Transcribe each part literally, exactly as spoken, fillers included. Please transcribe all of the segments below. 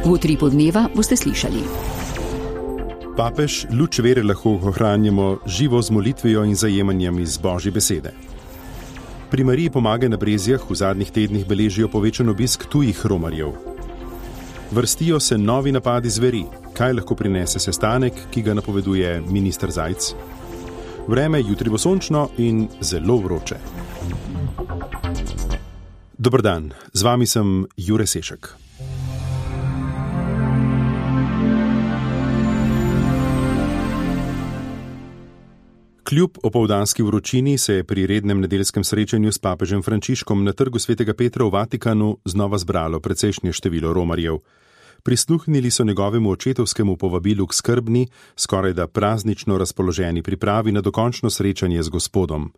V Utripu dneva boste slišali. Papež, luč vere lahko ohranjamo živo z molitvijo in zajemanjem iz Božje besede. Pri Mariji Pomagaj na Brezjah v zadnjih tednih beležijo povečan obisk tujih romarjev. Vrstijo se novi napadi zveri. Kaj lahko prinese sestanek, ki ga napoveduje minister Zajc? Vreme jutri bo sončno in zelo vroče. Dober dan, z vami sem Jure Sešek. Kljub opoldanski vročini se je pri rednem nedeljskem srečanju s papežem Frančiškom na trgu svetega Petra v Vatikanu znova zbralo precejšnje število romarjev. Prisluhnili so njegovemu očetovskemu povabilu k skrbni, skorajda praznično razpoloženi pripravi na dokončno srečanje z Gospodom.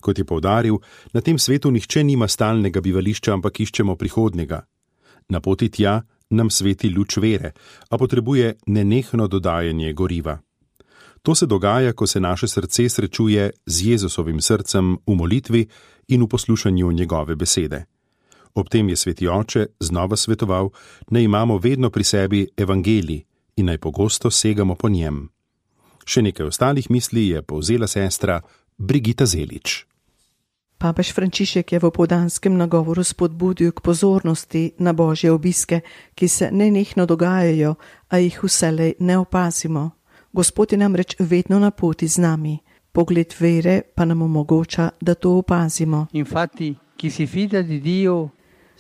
Kot je poudaril, na tem svetu nihče nima stalnega bivališča, ampak iščemo prihodnjega. Na poti tja nam sveti luč vere, a potrebuje nenehno dodajanje goriva. To se dogaja, ko se naše srce srečuje z Jezusovim srcem v molitvi in v poslušanju njegove besede. Ob tem je sveti oče znova svetoval, naj imamo vedno pri sebi evangelij in naj pogosto segamo po njem. Še nekaj ostalih misli je povzela sestra Brigita Zelič. Papež Frančišek je v opoldanskem nagovoru spodbudil k pozornosti na božje obiske, ki se nenehno dogajajo, a jih vselej ne opazimo. Gospod je namreč vedno na poti z nami. Pogled vere pa nam omogoča, da to opazimo. Infatti, chi si fida di Dio,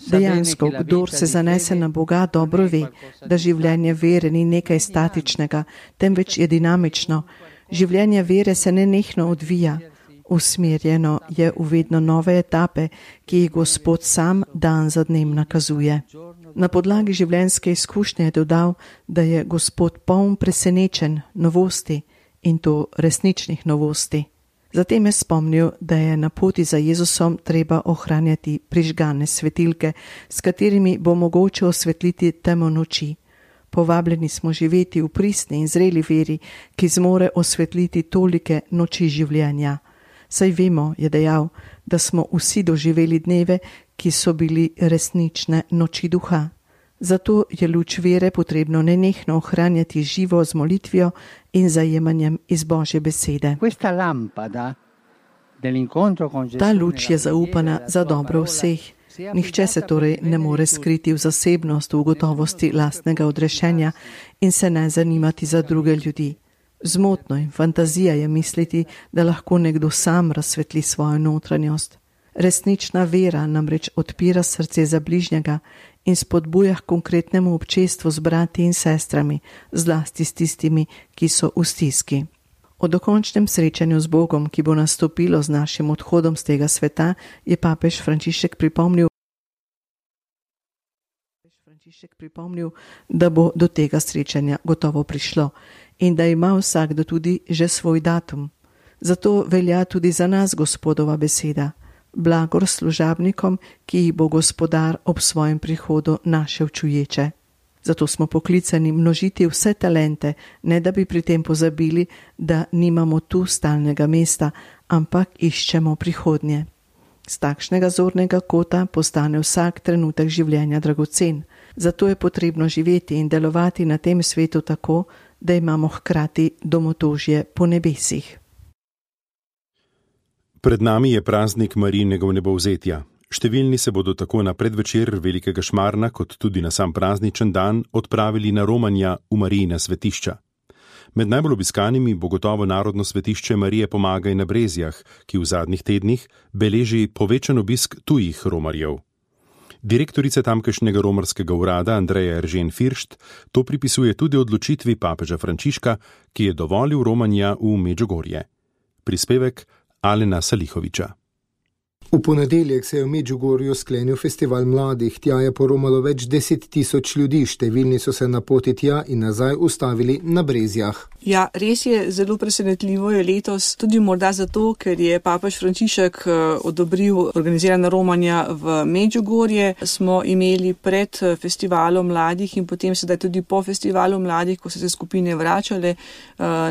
Dejansko, kdor se zanese na Boga, dobro ve, da življenje vere ni nekaj statičnega, temveč je dinamično. Življenje vere se nenehno odvija. Usmerjeno je v vedno nove etape, ki jih Gospod sam dan za dnem nakazuje. Na podlagi življenjske izkušnje je dodal, da je Gospod poln presenečen novosti in to resničnih novosti. Zatem je spomnil, da je na poti za Jezusom treba ohranjati prižgane svetilke, s katerimi bo mogoče osvetliti temo noči. Povabljeni smo živeti v pristni in zreli veri, ki zmore osvetliti tolike noči življenja. Saj vemo, je dejal, da smo vsi doživeli dneve, ki so bili resnične noči duha. Zato je luč vere potrebno nenehno ohranjati živo z molitvijo in zajemanjem iz Božje besede. Ta luč je zaupana za dobro vseh. Nihče se torej ne more skriti v zasebnost, v gotovosti lastnega odrešenja in se ne zanimati za druge ljudi. Zmotno in fantazija je misliti, da lahko nekdo sam razsvetli svojo notranjost. Resnična vera namreč odpira srce za bližnjega in spodbuja k konkretnemu občestvu z brati in sestrami, zlasti s tistimi, ki so v stiski. O dokončnem srečanju z Bogom, ki bo nastopilo z našim odhodom z tega sveta, je papež Frančišek pripomnil, Frančišek pripomnil, da bo do tega srečanja gotovo prišlo in da ima vsakdo tudi že svoj datum. Zato velja tudi za nas Gospodova beseda. Blagor služabnikom, ki jih bo Gospodar ob svojem prihodu našel čuječe. Zato smo poklicani množiti vse talente, ne da bi pri tem pozabili, da nimamo tu stalnega mesta, ampak iščemo prihodnje. Z takšnega zornega kota postane vsak trenutek življenja dragocen. Zato je potrebno živeti in delovati na tem svetu tako, da imamo hkrati domotožje po nebesih. Pred nami je praznik Marijinega vnebovzetja. Številni se bodo tako na predvečer velikega šmarna, kot tudi na sam prazničen dan, odpravili na romanja v Marijina svetišča. Med najbolj obiskanimi bo gotovo narodno svetišče Marije Pomagaj na Brezjah, ki v zadnjih tednih beleži povečan obisk tujih romarjev. Direktorica tamkajšnjega romarskega urada Andreja Eržen Firšt to pripisuje tudi odločitvi papeža Frančiška, ki je dovolil romanja v Medžugorje. Prispevek Alena Salihoviča. V ponedeljek se je v Medžugorju sklenil festival mladih, tja je poromalo več deset tisoč ljudi, številni so se na poti tja in nazaj ustavili na Brezjah. Ja, res je, zelo presenetljivo je letos, tudi morda zato, ker je papež Frančišek odobril organizirana romanja v Medžugorje. Smo imeli pred festivalom mladih in potem sedaj tudi po festivalu mladih, ko so se skupine vračale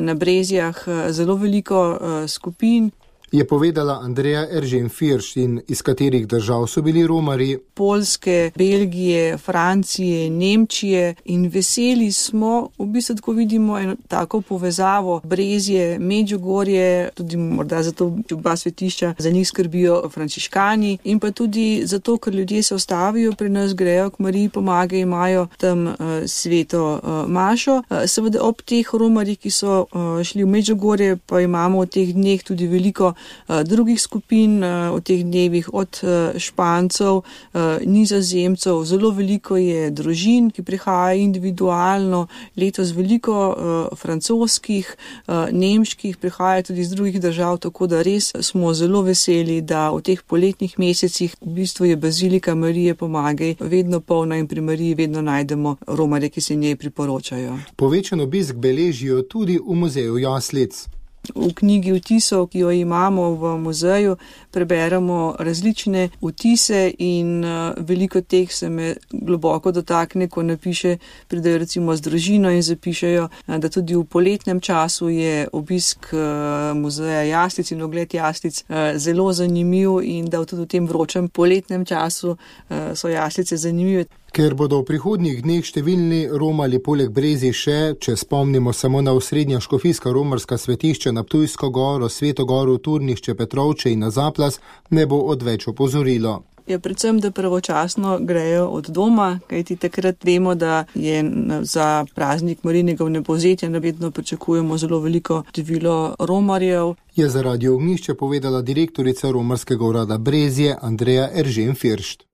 na Brezjah, zelo veliko skupin. je povedala Andreja Eržen-First. In iz katerih držav so bili romarji? Poljske, Belgije, Francije, Nemčije, in veseli smo, v bistvu tako vidimo eno tako povezavo Brezje, Medžugorje, tudi morda zato oba svetišča za njih skrbijo frančiškani, in pa tudi zato, ker ljudje se ostavijo pri nas, grejo k Mariji pomagajo, imajo tam uh, sveto uh, mašo. Uh, seveda ob teh romarjih, ki so uh, šli v Medžugorje, pa imamo v teh dneh tudi veliko uh, drugih skupin, uh, v teh dnevih od uh, Špancev, uh, Nizozemcev, zelo veliko je družin, ki prihajajo individualno, letos veliko uh, francoskih, uh, nemških, prihajajo tudi iz drugih držav, tako da res smo zelo veseli, da v teh poletnih mesecih v bistvu je Bazilika Marije Pomagaj vedno polna in pri Mariji vedno najdemo romarje, ki se njej priporočajo. Povečan obisk beležijo tudi v muzeju jaslic. V knjigi vtisov, ki jo imamo v muzeju, preberemo različne vtise in uh, veliko teh se me globoko dotakne, ko napiše, pridejo recimo z družino in zapišejo, uh, da tudi v poletnem času je obisk uh, muzeja jaslic in ogled jaslic uh, zelo zanimiv in da tudi v tem vročem poletnem času uh, so jaslice zanimive. Ker bodo v prihodnjih dneh številni romali poleg Brezij še, če spomnimo samo na osrednja škofijska romarska svetišča na Ptujsko goro, Sveto goro, Turnišče, Petrovče in na Zaplas, ne bo odveč opozorilo. Je predvsem, da pravočasno grejo od doma, kajti takrat vemo, da je za praznik Marijinega vnebovzetja navedno pričakujemo zelo veliko število romarjev. Je za Radio Ognjišče povedala direktorica romarskega urada Brezje Andreja Eržen-First.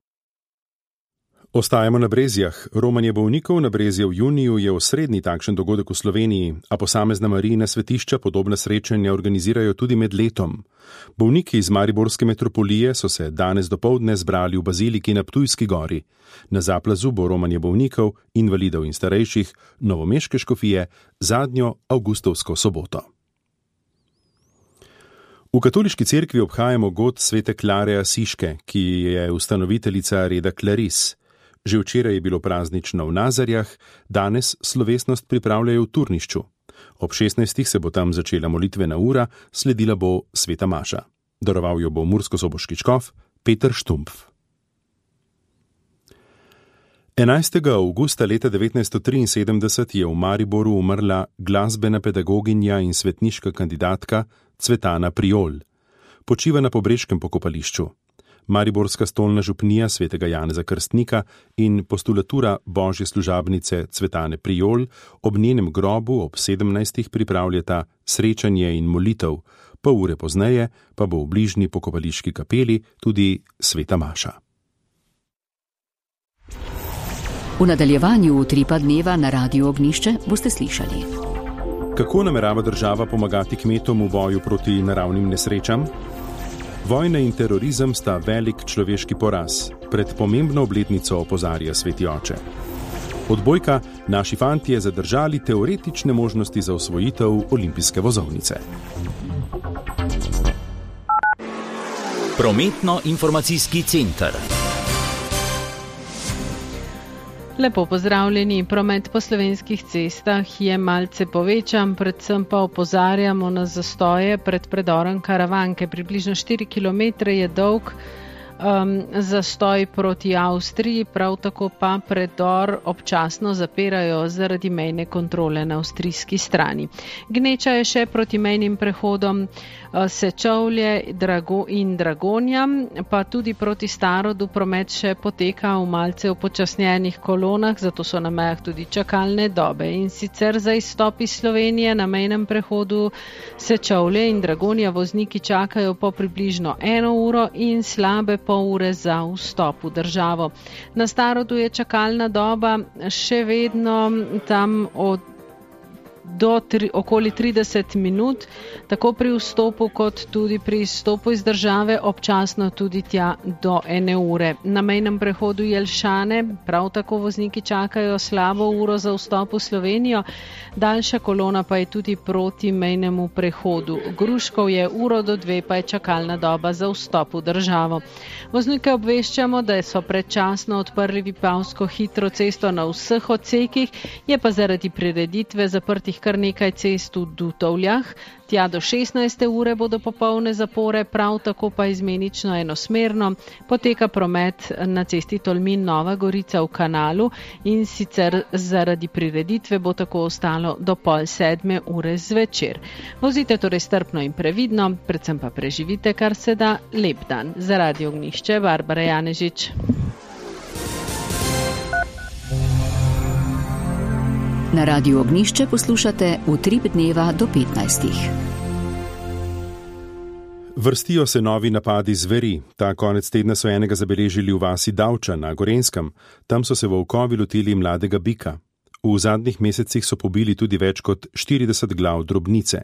Ostajamo na Brezjah. Romanje bolnikov na Brezje v juniju je osrednji takšen dogodek v Sloveniji, a posamezna Marijina svetišča podobna srečanja organizirajo tudi med letom. Bolniki iz Mariborske metropolije so se danes dopoldne zbrali v baziliki na Ptujski gori. Na Zaplazu bo romanje bolnikov, invalidov in starejših novomeške škofije zadnjo avgustovsko soboto. V katoliški cerkvi obhajamo god svete Klare Asiške, ki je ustanoviteljica reda Claris. Že včeraj je bilo praznično v Nazarjah, danes slovesnost pripravljajo v Turnišču. Ob šestnajstih se bo tam začela molitvena ura, sledila bo sveta maša. Daroval jo bo murskosoboški škof Peter Štumpf. enajstega avgusta leta devetnajststo triinsedemdeset je v Mariboru umrla glasbena pedagoginja in svetniška kandidatka Cvetana Priol. Počiva na Pobreškem pokopališču. Mariborska stolna župnija svetega Janeza Krstnika in postulatura božje služabnice Cvetane Priol ob njenem grobu ob sedemnajstih pripravljata srečanje in molitev, pol ure pozneje pa bo v bližnji pokopališki kapeli tudi sveta maša. V nadaljevanju Utripa dneva na Radiu Ognjišče boste slišali. Kako namerava država pomagati kmetom v boju proti naravnim nesrečam? Vojna in terorizem sta velik človeški poraz. Pred pomembno obletnico opozarja sveti oče. Odbojka, naši fantje zadržali teoretične možnosti za osvojitev olimpijske vozovnice. Prometno-informacijski center. Lepo pozdravljeni. Promet po slovenskih cestah je malce povečan, predvsem pa opozarjamo na zastoje pred predorom Karavanke. Približno štiri kilometre je dolg um, zastoj proti Avstriji, prav tako pa predor občasno zapirajo zaradi mejne kontrole na avstrijski strani. Gneča je še proti mejnim prehodom uh, Sečovlje Drago in Dragonja, pa tudi proti Starodu promet še poteka v malce upočasnjenih kolonah, zato so na mejah tudi čakalne dobe. In sicer za izstop iz Slovenije na mejnem prehodu Sečovlje in Dragonja vozniki čakajo po približno eno uro in slabe pol ure za vstop v državo. Na Starodu je čakalna doba še vedno tam od do tri, okoli trideset minut, tako pri vstopu kot tudi pri izstopu iz države, občasno tudi tja do ene ure. Na mejnem prehodu Jelšane prav tako vozniki čakajo slabo uro za vstop v Slovenijo, daljša kolona pa je tudi proti mejnemu prehodu. Gruškov je uro do dve, pa je čakalna doba za vstop v državo. Voznike obveščamo, da so predčasno odprli Vipavsko hitro cesto na vseh odsekih, je pa zaradi prireditve zaprtih zaprtih kar nekaj cest v Dutovljah. Tja do šestnajste ure bodo popolne zapore, prav tako pa izmenično enosmerno poteka promet na cesti Tolmin Nova Gorica v Kanalu in sicer zaradi prireditve bo tako ostalo do pol sedme ure zvečer. Vozite torej strpno in previdno, predvsem pa preživite kar se da lep dan. Za Radio Ognjišče, Barbara Janežič. Na Radiu Ognjišče poslušate Utrip dneva do petnajstih. Vrstijo se novi napadi zveri. Ta konec tedna so enega zabeležili v vasi Davča na Gorenjskem. Tam so se volkovi lotili mladega bika. V zadnjih mesecih so pobili tudi več kot štirideset glav drobnice.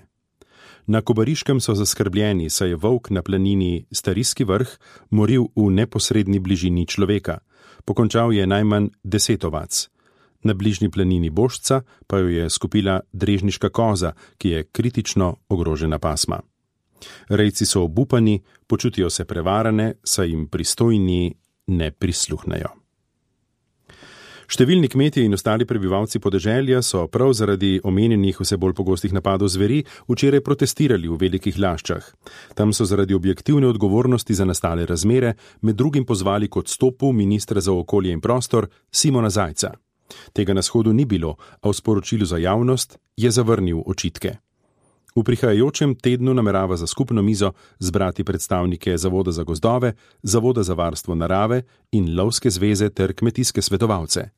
Na Kobariškem so zaskrbljeni, saj je volk na planini Starijski vrh moril v neposredni bližini človeka. Pokončal je najmanj deset ovac. Na bližnji planini Bošca pa jo je skupila drežniška koza, ki je kritično ogrožena pasma. Rejci so obupani, počutijo se prevarane, saj jim pristojni ne prisluhnejo. Številni kmetje in ostali prebivalci podeželja so prav zaradi omenjenih vse bolj pogostih napadov zveri včeraj protestirali v Velikih Laščah. Tam so zaradi objektivne odgovornosti za nastale razmere med drugim pozvali k odstopu ministra za okolje in prostor Simona Zajca. Tega na shodu ni bilo, a v sporočilu za javnost je zavrnil očitke. V prihajajočem tednu namerava za skupno mizo zbrati predstavnike Zavoda za gozdove, Zavoda za varstvo narave in Lovske zveze ter kmetijske svetovalce.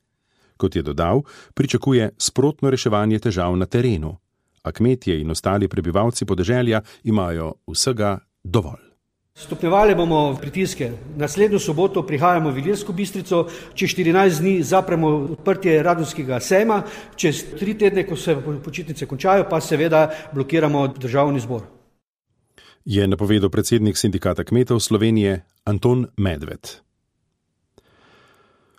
Kot je dodal, pričakuje sprotno reševanje težav na terenu, a kmetje in ostali prebivalci podeželja imajo vsega dovolj. Stopnjevali bomo pritiske. Naslednjo soboto prihajamo v Ilirsko Bistrico, čez štirinajst dni zapremo odprtje Radonskega sejma, čez tri tedne, ko se počitnice končajo, pa seveda blokiramo državni zbor. Je napovedal predsednik Sindikata kmetov Slovenije Anton Medved.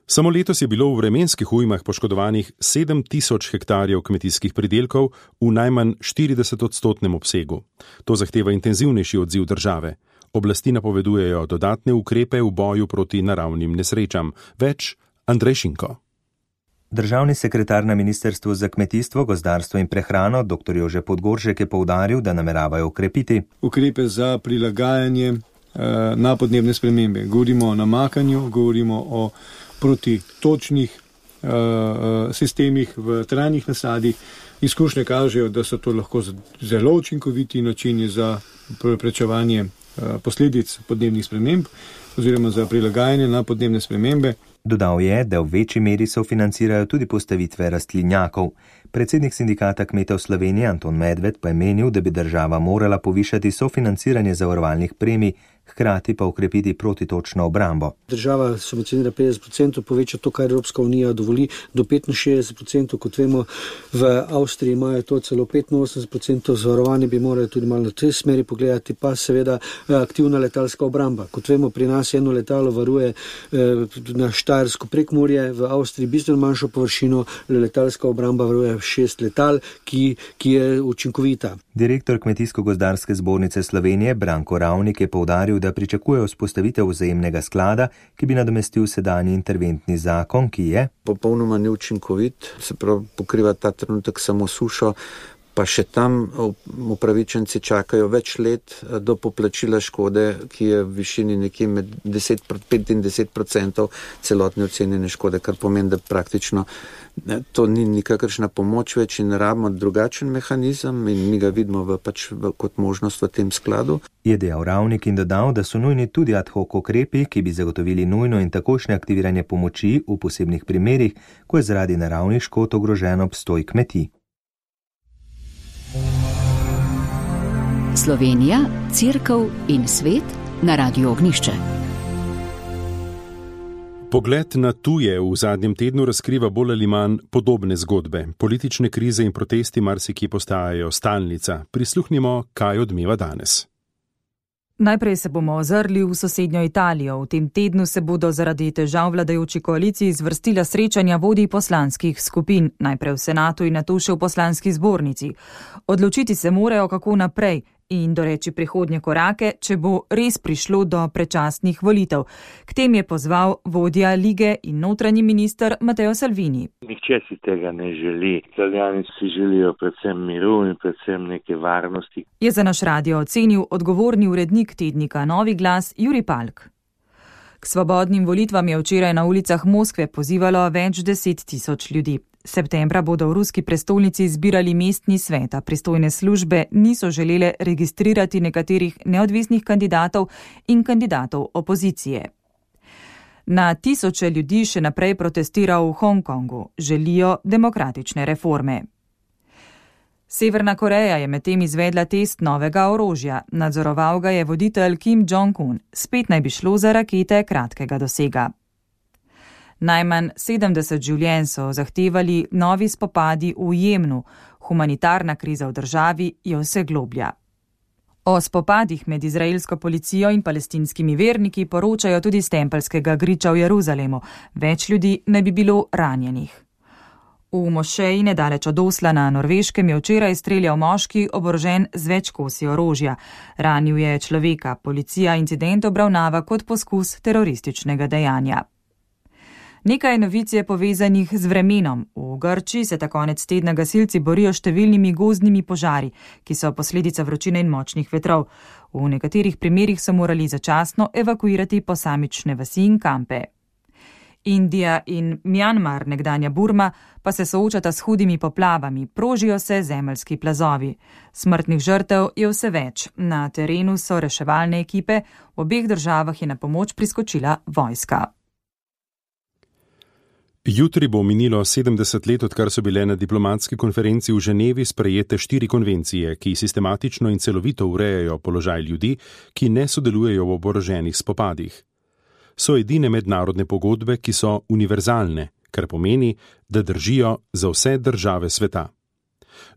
Samo letos je bilo v vremenskih ujmah poškodovanih sedem tisoč hektarjev kmetijskih pridelkov v najmanj štirideset odstotnem obsegu. To zahteva intenzivnejši odziv države. Oblasti napovedujejo dodatne ukrepe v boju proti naravnim nesrečam. Več Andrej Šinko. Državni sekretar na Ministrstvu za kmetijstvo, gozdarstvo in prehrano dr. Jože Podgoršek je poudaril, da nameravajo ukrepiti ukrepe za prilagajanje eh, na podnebne spremembe. Govorimo o namakanju, govorimo o protitočnih uh, sistemih v trajnih nasadih. Izkušnje kažejo, da so to lahko zelo učinkoviti načini za preprečevanje uh, posledic podnebnih sprememb oziroma za prilagajanje na podnebne spremembe. Dodal je, da v večji meri sofinancirajo tudi postavitve rastlinjakov. Predsednik Sindikata kmetov Slovenije Anton Medved pa je menil, da bi država morala povišati sofinanciranje zavarovalnih premij, hkrati pa ukrepiti protitočno obrambo. Država subvencionira petdeset procentov, poveča to, kar Evropska unija dovoli, do petinšestdeset procentov, kot vemo, v Avstriji imajo to celo petinosemdeset procentov, zavarovanje bi morali tudi malo na tej smeri pogledati, pa seveda aktivna letalska obramba. Kot vemo, pri nas eno letalo varuje na Štajersko Prekmurje, v Avstriji bistveno manjšo površino, letalska obramba varuje šest letal, ki, ki je učinkovita. Direktor Kmetijsko-gozdarske zbornice Slovenije Branko Ravnik je poudaril, da pričakujejo vzpostavitev vzajemnega sklada, ki bi nadomestil sedanji interventni zakon, ki je popolnoma neučinkovit, se pravi pokriva ta trenutek samo sušo, pa še tam upravičenci čakajo več let do poplačila škode, ki je v višini nekje med deset do petdeset procentov celotne ocenjene škode, kar pomeni, da praktično to ni nikakršna pomoč več in rabimo drugačen mehanizem in mi ga vidimo v, pač, v, kot možnost v tem skladu. Je dejal Ravnik in dodal, da so nujni tudi ad hoc ukrepi, ki bi zagotovili nujno in takošnje aktiviranje pomoči v posebnih primerih, ko je zaradi naravnih škod ogrožen obstoj kmetij. Slovenija, Cerkev in svet na Radiu Ognjišče. Pogled na tuje v zadnjem tednu razkriva bolj ali manj podobne zgodbe. Politične krize in protesti marsikje postajajo stalnica. Prisluhnimo, kaj odmeva danes. Najprej se bomo ozrli v sosednjo Italijo. V tem tednu se bodo zaradi težav vladajoči koaliciji zvrstila srečanja vodij poslanskih skupin, najprej v senatu in nato še v poslanski zbornici. Odločiti se morajo, kako naprej. in doreči prihodnje korake, če bo res prišlo do predčasnih volitev. K tem je pozval vodja lige in notranji minister Matteo Salvini. Nihče si tega ne želi. Italijani si želijo predvsem miru in predvsem neke varnosti. Je za naš radio ocenil odgovorni urednik tednika Novi glas Jurij Palk. K svobodnim volitvam je včeraj na ulicah Moskve pozivalo več deset tisoč ljudi. Septembra bodo v ruski prestolnici izbirali mestni svet, a pristojne službe niso želele registrirati nekaterih neodvisnih kandidatov in kandidatov opozicije. Na tisoče ljudi še naprej protestira v Hongkongu, želijo demokratične reforme. Severna Koreja je medtem izvedla test novega orožja, nadzoroval ga je voditelj Kim Jong-un, spet naj bi šlo za rakete kratkega dosega. Najmanj sedemdeset življenj so zahtevali novi spopadi v Jemnu, humanitarna kriza v državi je vse globlja. O spopadih med izraelsko policijo in palestinskimi verniki poročajo tudi s tempeljskega griča v Jeruzalemu, več ljudi ne bi bilo ranjenih. V mošeji nedaleč od Osla na Norveškem je včeraj streljal moški oborožen z več kosi orožja. Ranil je človeka, policija incident obravnava kot poskus terorističnega dejanja. Nekaj novic je povezanih z vremenom. V Grčiji se ta konec tedna gasilci borijo s številnimi gozdnimi požari, ki so posledica vročine in močnih vetrov. V nekaterih primerih so morali začasno evakuirati posamične vasi in kampe. Indija in Mjanmar, nekdanja Burma, pa se soočata s hudimi poplavami, prožijo se zemeljski plazovi. Smrtnih žrtev je vse več. Na terenu so reševalne ekipe, v obeh državah je na pomoč priskočila vojska. Jutri bo minilo sedemdeset let, odkar so bile na diplomatski konferenci v Ženevi sprejete štiri konvencije, ki sistematično in celovito urejajo položaj ljudi, ki ne sodelujejo v oboroženih spopadih. So edine mednarodne pogodbe, ki so univerzalne, kar pomeni, da držijo za vse države sveta.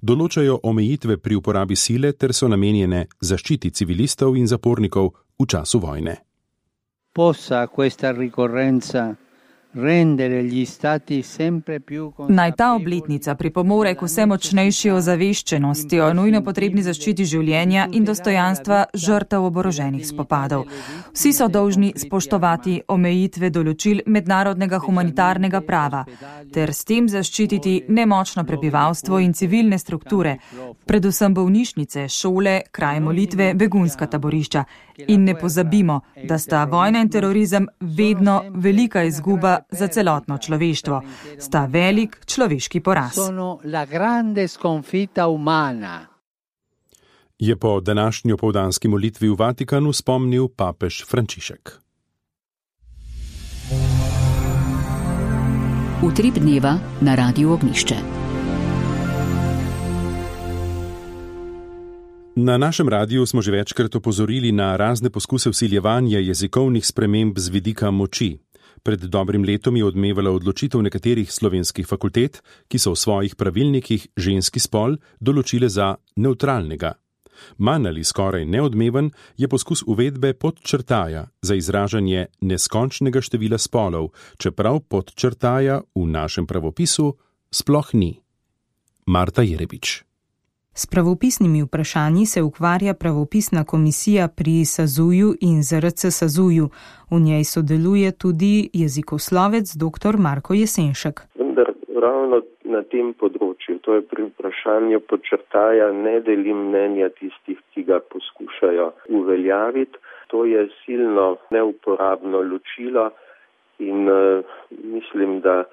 Določajo omejitve pri uporabi sile ter so namenjene zaščiti civilistov in zapornikov v času vojne. Possa questa ricorrenza Naj ta obletnica pripomore k vse močnejši ozaveščenosti o nujno potrebni zaščiti življenja in dostojanstva žrtev oboroženih spopadov. Vsi so dolžni spoštovati omejitve določil mednarodnega humanitarnega prava ter s tem zaščititi nemočno prebivalstvo in civilne strukture, predvsem bolnišnice, šole, kraj molitve, begunska taborišča. In ne pozabimo, da sta vojna in terorizem vedno velika izguba za celotno človeštvo. Sta velik človeški poraz. Je po današnji opoldanski molitvi v Vatikanu spomnil papež Frančišek. Utrip dneva na Radiu Ognjišče. Na našem radiju smo že večkrat opozorili na razne poskuse vsiljevanja jezikovnih sprememb z vidika moči. Pred dobrim letom je odmevala odločitev nekaterih slovenskih fakultet, ki so v svojih pravilnikih ženski spol določile za nevtralnega. Manj ali skoraj neodmeven je poskus uvedbe podčrtaja za izražanje neskončnega števila spolov, čeprav podčrtaja v našem pravopisu sploh ni. Marta Jerebič. S pravopisnimi vprašanji se ukvarja pravopisna komisija pri Sazuju in Z R C Sazuju. V njej sodeluje tudi jezikoslovec dr. Marko Jesenšek. Vendar ravno na tem področju, to je pri vprašanju podčrtaja, ne delim mnenja tistih, ki ga poskušajo uveljaviti. To je silno neuporabno ločilo in uh, mislim, da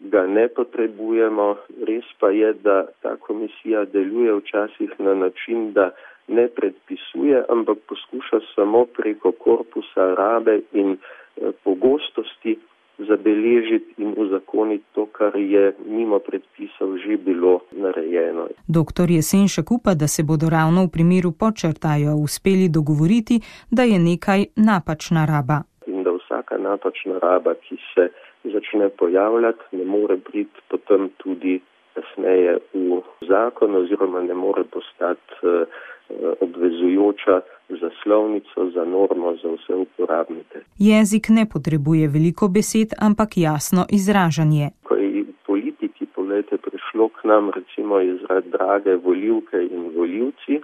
ga ne potrebujemo. Res pa je, da ta komisija deluje včasih na način, da ne predpisuje, ampak poskuša samo preko korpusa rabe in eh, pogostosti zabeležiti in uzakoniti to, kar je mimo predpisov že bilo narejeno. Doktor Jesenšek upa, da se bodo ravno v primeru podčrtaja uspeli dogovoriti, da je nekaj napačna raba. In da vsaka napačna raba, ki se začne pojavljati, ne more priti potem tudi kasneje v zakon oziroma ne more postati uh, obvezujoča za slovnico, za normo, za vse uporabnike. Jezik ne potrebuje veliko besed, ampak jasno izražanje. Ko je politiki, poglejte, prišlo k nam recimo izraz drage volivke in volivci,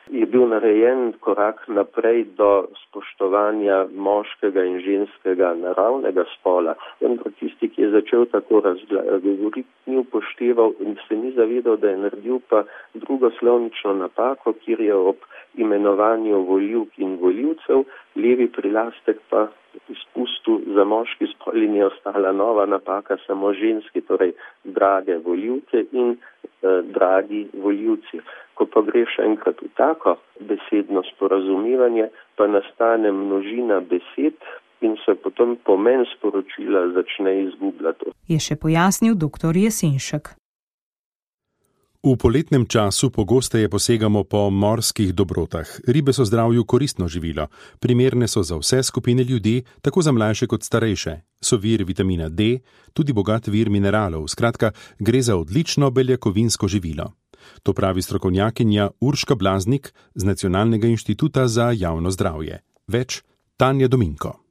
je bil narejen korak naprej do spoštovanja moškega in ženskega naravnega spola. Vendar tisti, ki je začel tako razgovoriti, ni upošteval in se ni zavedal, da je naredil pa drugo slovnično napako, kjer je ob imenovanju volivk in volivcev levi prilastek pa izpustil za moški spol in je ostala nova napaka samo ženski, torej drage volivke in eh, dragi volivci. Ko pa greš enkrat v tako besedno sporazumevanje, pa nastane množina besed in se potem pomen sporočila začne izgubljati. Je še pojasnil doktor Jesenšek. V poletnem času pogosteje posegamo po morskih dobrotah. Ribe so zdravju koristno živilo. Primerne so za vse skupine ljudi, tako za mlajše kot starejše. So vir vitamina D, tudi bogat vir mineralov. Skratka, gre za odlično beljakovinsko živilo. To pravi strokovnjakinja Urška Blaznik z Nacionalnega inštituta za javno zdravje. Več Tanja Dominko.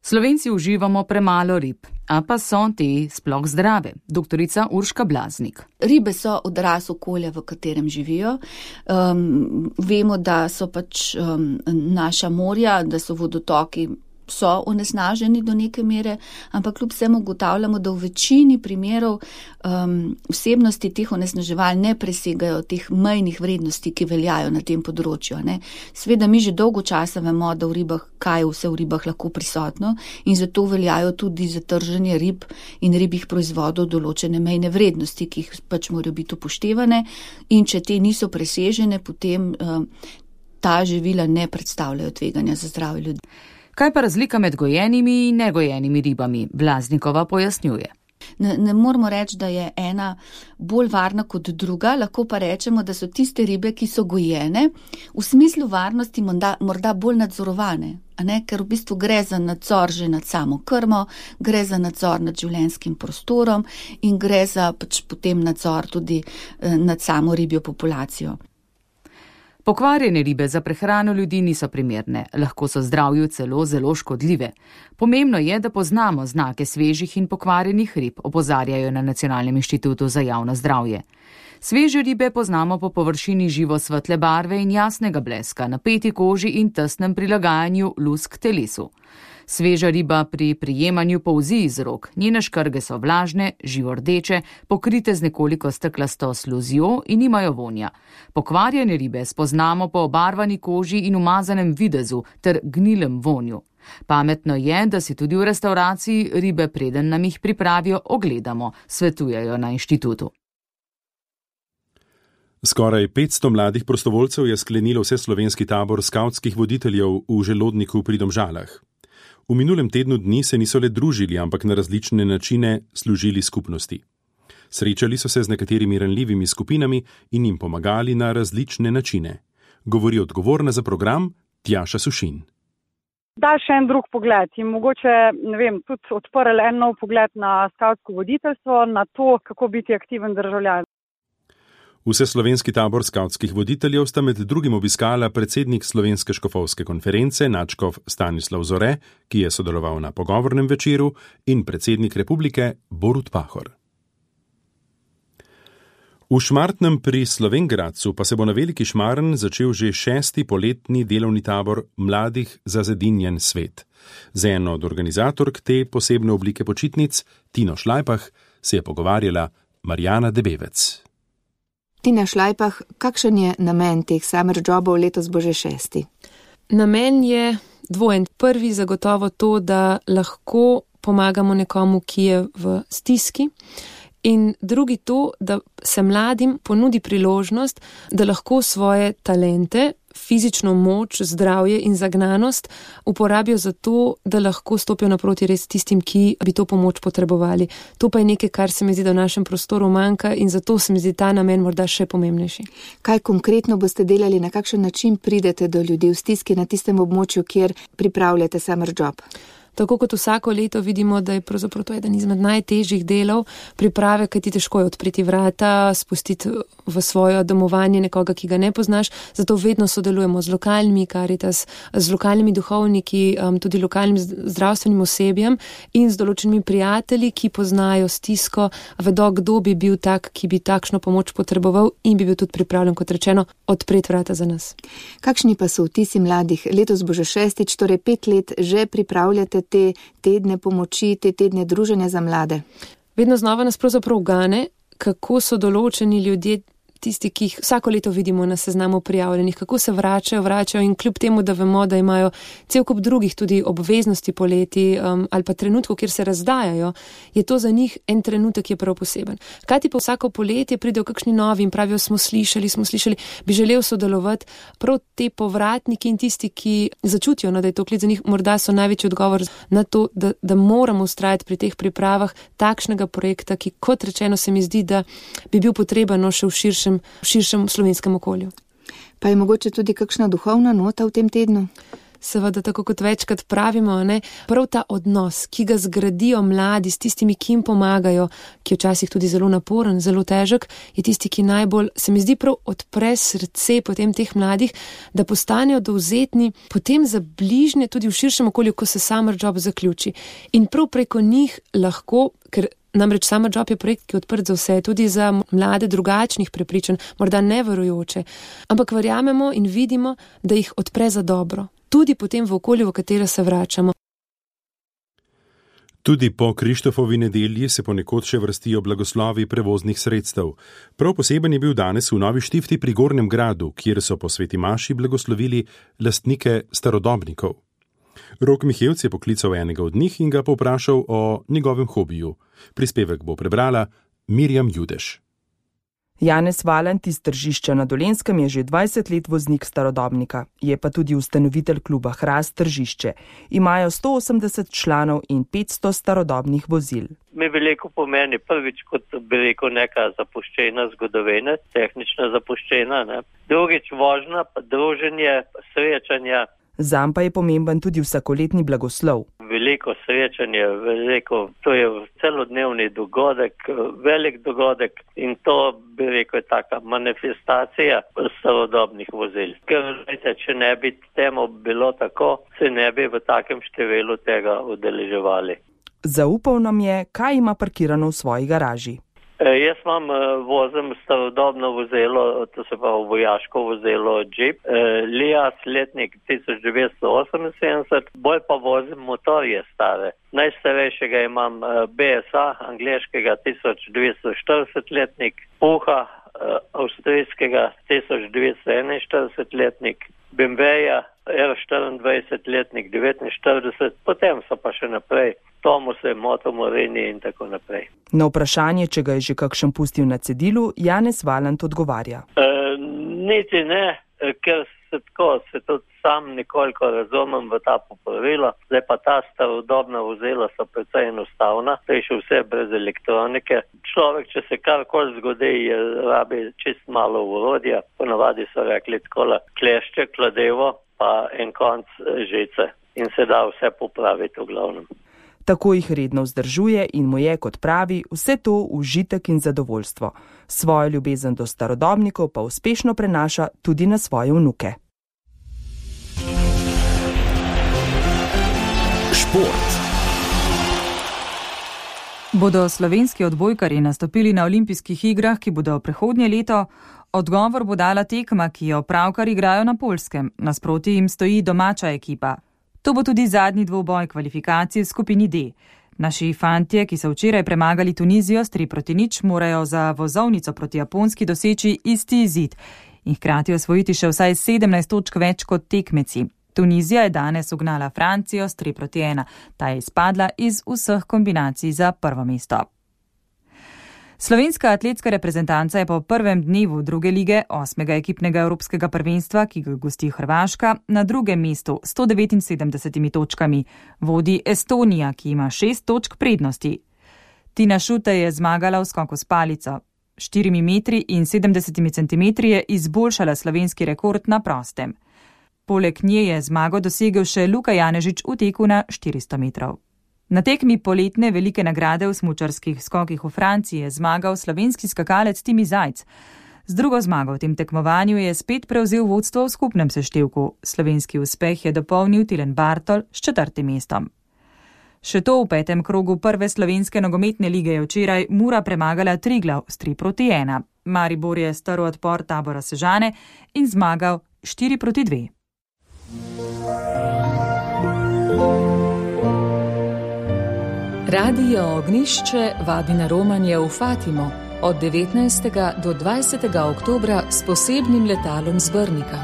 Slovenci uživamo premalo rib, a pa so te sploh zdrave. Doktorica Urška Blaznik. Ribe so odraz okolja, v katerem živijo. Um, vemo, da so pač um, naša morja, da so vodotoki so onesnaženi do neke mere, ampak kljub vsemu ugotavljamo, da v večini primerov um, vsebnosti teh onesnaževal ne presegajo teh mejnih vrednosti, ki veljajo na tem področju. Ne. Sveda mi že dolgo časa vemo, da v ribah, kaj je vse v ribah lahko prisotno in zato veljajo tudi za trženje rib in ribjih proizvodov določene mejne vrednosti, ki jih pač morajo biti upoštevane in če te niso presežene, potem um, ta živila ne predstavljajo tveganja za zdravje ljudi. Kaj pa razlika med gojenimi in negojenimi ribami? Blaznikova pojasnjuje. Ne, ne moramo reči, da je ena bolj varna kot druga, lahko pa rečemo, da so tiste ribe, ki so gojene, v smislu varnosti morda, morda bolj nadzorovane, a ne? Ker v bistvu gre za nadzor že nad samo krmo, gre za nadzor nad življenjskim prostorom in gre za pač potem nadzor tudi eh, nad samo ribjo populacijo. Pokvarjene ribe za prehrano ljudi niso primerne, lahko so zdravju celo zelo škodljive. Pomembno je, da poznamo znake svežih in pokvarjenih rib, opozarjajo na Nacionalnem inštitutu za javno zdravje. Sveže ribe poznamo po površini živo svetle barve in jasnega bleska, napeti koži in tesnem prilagajanju lusk telesu. Sveža riba pri prijemanju polzi iz rok, njene škrge so vlažne, živo rdeče, pokrite z nekoliko steklasto sluzjo in imajo vonja. Pokvarjene ribe spoznamo po obarvani koži in umazanem videzu ter gnilem vonju. Pametno je, da si tudi v restavraciji ribe, preden nam jih pripravijo, ogledamo, svetujejo na inštitutu. Skoraj petsto mladih prostovoljcev je sklenilo vseslovenski tabor skavtskih voditeljev v Želodniku pri Domžalah. V minulem tednu dni se niso le družili, ampak na različne načine služili skupnosti. Srečali so se z nekaterimi ranljivimi skupinami in jim pomagali na različne načine. Govori odgovorna za program Tjaša Sušin. Da, še en drug pogled in mogoče, ne vem, tudi odprl en nov pogled na skavtsko voditeljstvo, na to, kako biti aktiven državljan. Vseslovenski tabor skavtskih voditeljev sta med drugim obiskala predsednik Slovenske škofovske konference, nadškof Stanislav Zore, ki je sodeloval na pogovornem večeru, in predsednik republike Borut Pahor. V Šmartnem pri Slovenj Gradcu pa se bo na Veliki Šmarn začel že šesti poletni delovni tabor Mladih za zedinjen svet. Z eno od organizatork te posebne oblike počitnic, Tino Šlajpah, se je pogovarjala Marjana Debevec. Tina Šlajpah, kakšen je namen teh summer jobov, letos bo že šesti? Namen je dvojen. Prvi zagotovo to, da lahko pomagamo nekomu, ki je v stiski. In drugi to, da se mladim ponudi priložnost, da lahko svoje talente, fizično moč, zdravje in zagnanost uporabijo za to, da lahko stopijo naproti res tistim, ki bi to pomoč potrebovali. To pa je nekaj, kar se mi zdi, da v našem prostoru manjka in zato se mi zdi ta namen morda še pomembnejši. Kaj konkretno boste delali, na kakšen način pridete do ljudi v stiski na tistem območju, kjer pripravljate summer job? tako kot vsako leto vidimo, da je pravzaprav to eden izmed najtežjih delov priprave, kaj ti težko je odpreti vrata, spustiti v svoje domovanje nekoga, ki ga ne poznaš, zato vedno sodelujemo z lokalnimi Caritas, z lokalnimi duhovniki, tudi lokalnim zdravstvenim osebjem in z določenimi prijatelji, ki poznajo stisko, vedo, kdo bi bil tak, ki bi takšno pomoč potreboval in bi bil tudi pripravljen, kot rečeno, odpreti vrata za nas. Kakšni pa so vtisi mladih? Letos bo že šestič, torej pet let že pripravljate te tedne pomoči, te tedne druženja za mlade. Vedno znova nas pravzaprav gane, kako so določeni ljudje, tisti, ki jih vsako leto vidimo na seznamu prijavljenih, kako se vračajo, vračajo in kljub temu, da vemo, da imajo cel kup drugih tudi obveznosti poleti um, ali pa trenutkov, kjer se razdajajo, je to za njih en trenutek, ki je prav poseben. Hkrati pa vsako poletje pridejo kakšni novi in pravijo, smo slišali, smo slišali, bi želel sodelovati. Prav te povratniki in tisti, ki začutijo, no, da je to klic za njih, morda so največji odgovor na to, da, da moramo ustrajati pri teh pripravah takšnega projekta, ki, kot rečeno, se mi zdi, da bi bil potreben no, še v širšem v širšem slovenskem okolju. Pa je mogoče tudi kakšna duhovna nota v tem tednu? Seveda, tako kot večkrat pravimo, ne, prav ta odnos, ki ga zgradijo mladi s tistimi, ki jim pomagajo, ki je včasih tudi zelo naporen, zelo težek, je tisti, ki najbolj, se mi zdi, prav odpre srce potem teh mladih, da postanejo dovzetni potem za bližnje tudi v širšem okolju, ko se Summer Job zaključi. In prav preko njih lahko, ker namreč Summer Job je projekt, ki je odprt za vse, tudi za mlade drugačnih prepričanj, morda neverujoče, ampak verjamemo in vidimo, da jih odpre za dobro. Tudi potem v okolju, v katero se vračamo. Tudi po Krištofovi nedelji se ponekod še vrstijo blagoslovi prevoznih sredstev. Prav poseben je bil danes v Novi Štifti pri Gornjem Gradu, kjer so po sveti maši blagoslovili lastnike starodobnikov. Rok Mihevc je poklical enega od njih in ga povprašal o njegovem hobiju. Prispevek bo prebrala Mirjam Judeš. Janez Valant iz Tržišča na Dolenjskem je že dvajset let voznik starodobnika, je pa tudi ustanovitelj kluba Hrast Tržišče. Imajo sto osemdeset članov in petsto starodobnih vozil. Mi veliko pomeni prvič, kot bi rekel, neka zapuščena zgodovina, tehnična zapuščena, ne. Drugič vožnja, pa druženje, srečanja. Zam pa je pomemben tudi vsakoletni blagoslov. Veliko srečanje, veliko, to je celodnevni dogodek, velik dogodek in to, bi rekel, je taka manifestacija starodobnih vozil. Ker, vete, če ne bi temu bilo tako, se ne bi v takem številu tega udeleževali. Zaupal nam je, kaj ima parkirano v svoji garaži. E, jaz imam, vozim starodobno vozilo, to se pa vojaško vozilo Jeep, e, Lias letnik tisoč devetsto oseminsedemdeset, bolj pa vozim motorje stare. Najstarejšega imam B S A, angleškega tisoč devetsto štirideset letnik, Puha, avstrijskega tisoč devetsto enainštirideset letnik, B M W-ja R štiriindvajset letnik devetinštirideset, potem so pa še naprej Tomuse, Motomorini in tako naprej. Na vprašanje, če ga je že kakšen pustil na cedilu, Janez Valant odgovarja. E, niti ne, ker se tako, se tudi sam nekoliko razumem v ta popravila. Zdaj pa ta starodobna vozila so precej enostavna, to je še vse brez elektronike. Človek, če se karkoli zgodi, je rabi čist malo urodja. Ponavadi so rekli takole klešče, kladevo, pa en konc žice. In se da vse popraviti v glavnem. Tako jih redno vzdržuje in mu je, kot pravi, vse to užitek in zadovoljstvo. Svojo ljubezen do starodobnikov pa uspešno prenaša tudi na svoje vnuke. Šport. Bodo slovenski odbojkarji nastopili na olimpijskih igrah, ki bodo prihodnje leto? Odgovor bo dala tekma, ki jo pravkar igrajo na Poljskem. Nasproti jim stoji domača ekipa. To bo tudi zadnji dvoboj kvalifikacije v skupini D. Naši fantje, ki so včeraj premagali Tunizijo s tri proti nič, morajo za vozovnico proti Japonski doseči isti izid in hkrati osvojiti še vsaj sedemnajst točk več kot tekmeci. Tunizija je danes ugnala Francijo s tri proti ena. Ta je izpadla iz vseh kombinacij za prvo mesto. Slovenska atletska reprezentanca je po prvem dnevu druge lige osmega ekipnega evropskega prvenstva, ki ga gosti Hrvaška, na drugem mestu s sto devetinsedemdesetimi točkami. Vodi Estonija, ki ima šest točk prednosti. Tina Šute je zmagala v skoku s palico. Štirimi metri in sedemdesetimi centimetri je izboljšala slovenski rekord na prostem. Poleg nje je zmago dosegel še Luka Janežič v teku na štiristo metrov. Na tekmi poletne velike nagrade v smučarskih skokih v Franciji je zmagal slovenski skakalec Timi Zajc. Z drugo zmago v tem tekmovanju je spet prevzel vodstvo v skupnem seštevku. Slovenski uspeh je dopolnil Tilen Bartol s četrtim mestom. Še to v petem krogu prve slovenske nogometne lige je včeraj Mura premagala Triglav s tri proti ena. Maribor je strl odpor Tabora Sežane in zmagal štiri proti dve. Radio Ognišče vabi na romanje v Fatimo od devetnajstega do dvajsetega oktobra s posebnim letalom z Brnika.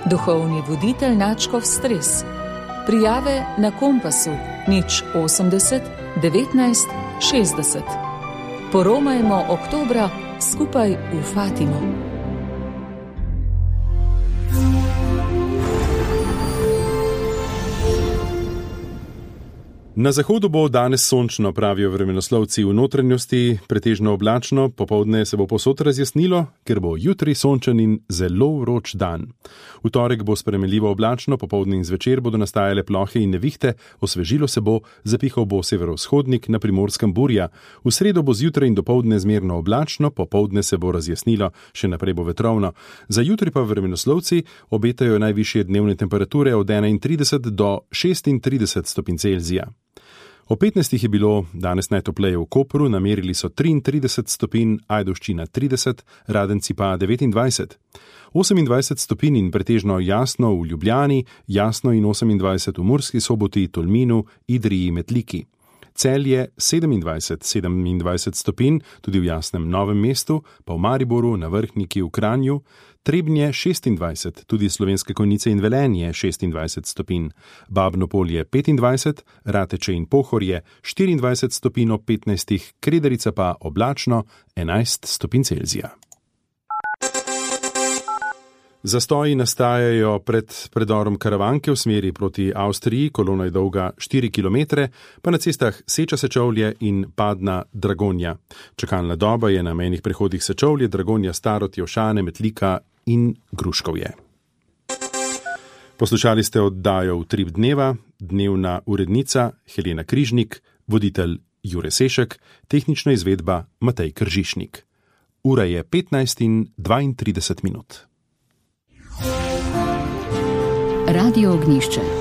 Duhovni voditelj Načkov Stres. Prijave na Kompasu nič osemdeset devetnajst šestdeset. Poromajmo oktobra skupaj v Fatimo. Na zahodu bo danes sončno, pravijo vremenoslovci, v notranjosti pretežno oblačno, popoldne se bo povsod razjasnilo, ker bo jutri sončen in zelo vroč dan. V torek bo spremenljivo oblačno, popoldne in zvečer bodo nastajale plohe in nevihte, osvežilo se bo, zapihal bo severovzhodnik, na Primorskem burja. V sredo bo zjutraj in dopoldne zmerno oblačno, popoldne se bo razjasnilo, še naprej bo vetrovno. Za jutri pa vremenoslovci obetajo najvišje dnevne temperature od enaintrideset do šestintrideset stopinj Celzija. O petnajstih je bilo danes najtopleje v Kopru, namerili so triintrideset stopinj, Ajdovščina trideset, Radenci pa devetindvajset. osemindvajset stopinj in pretežno jasno v Ljubljani, jasno in osemindvajset v Murski Soboti, Tolminu, Idriji, Metliki. Celje sedemindvajset, sedemindvajset stopinj, tudi v jasnem Novem mestu, pa v Mariboru, na Vrhniki, v Kranju, Trebnje šestindvajset, tudi Slovenske Konjice in Velenje šestindvajset stopinj, Babno Polje petindvajset, Rateče in Pohorje štiriindvajset stopinj ob petnajstih, Kredarica pa oblačno enajst stopinj Celzija. Zastoji nastajajo pred predorom Karavanke v smeri proti Avstriji, kolona je dolga štiri kilometre, pa na cestah Seča Sečovlje in Padna Dragonja. Čakalna doba je na mejnih prehodih Sečovlje, Dragonja, Starod, Jevšane, Metlika in Gruškovje. Poslušali ste oddajo Utrip dneva, dnevna urednica Helena Križnik, voditelj Jure Sešek, tehnična izvedba Matej Kržišnik. Ura je petnajst in dvaintrideset minut. Radio Ognišče.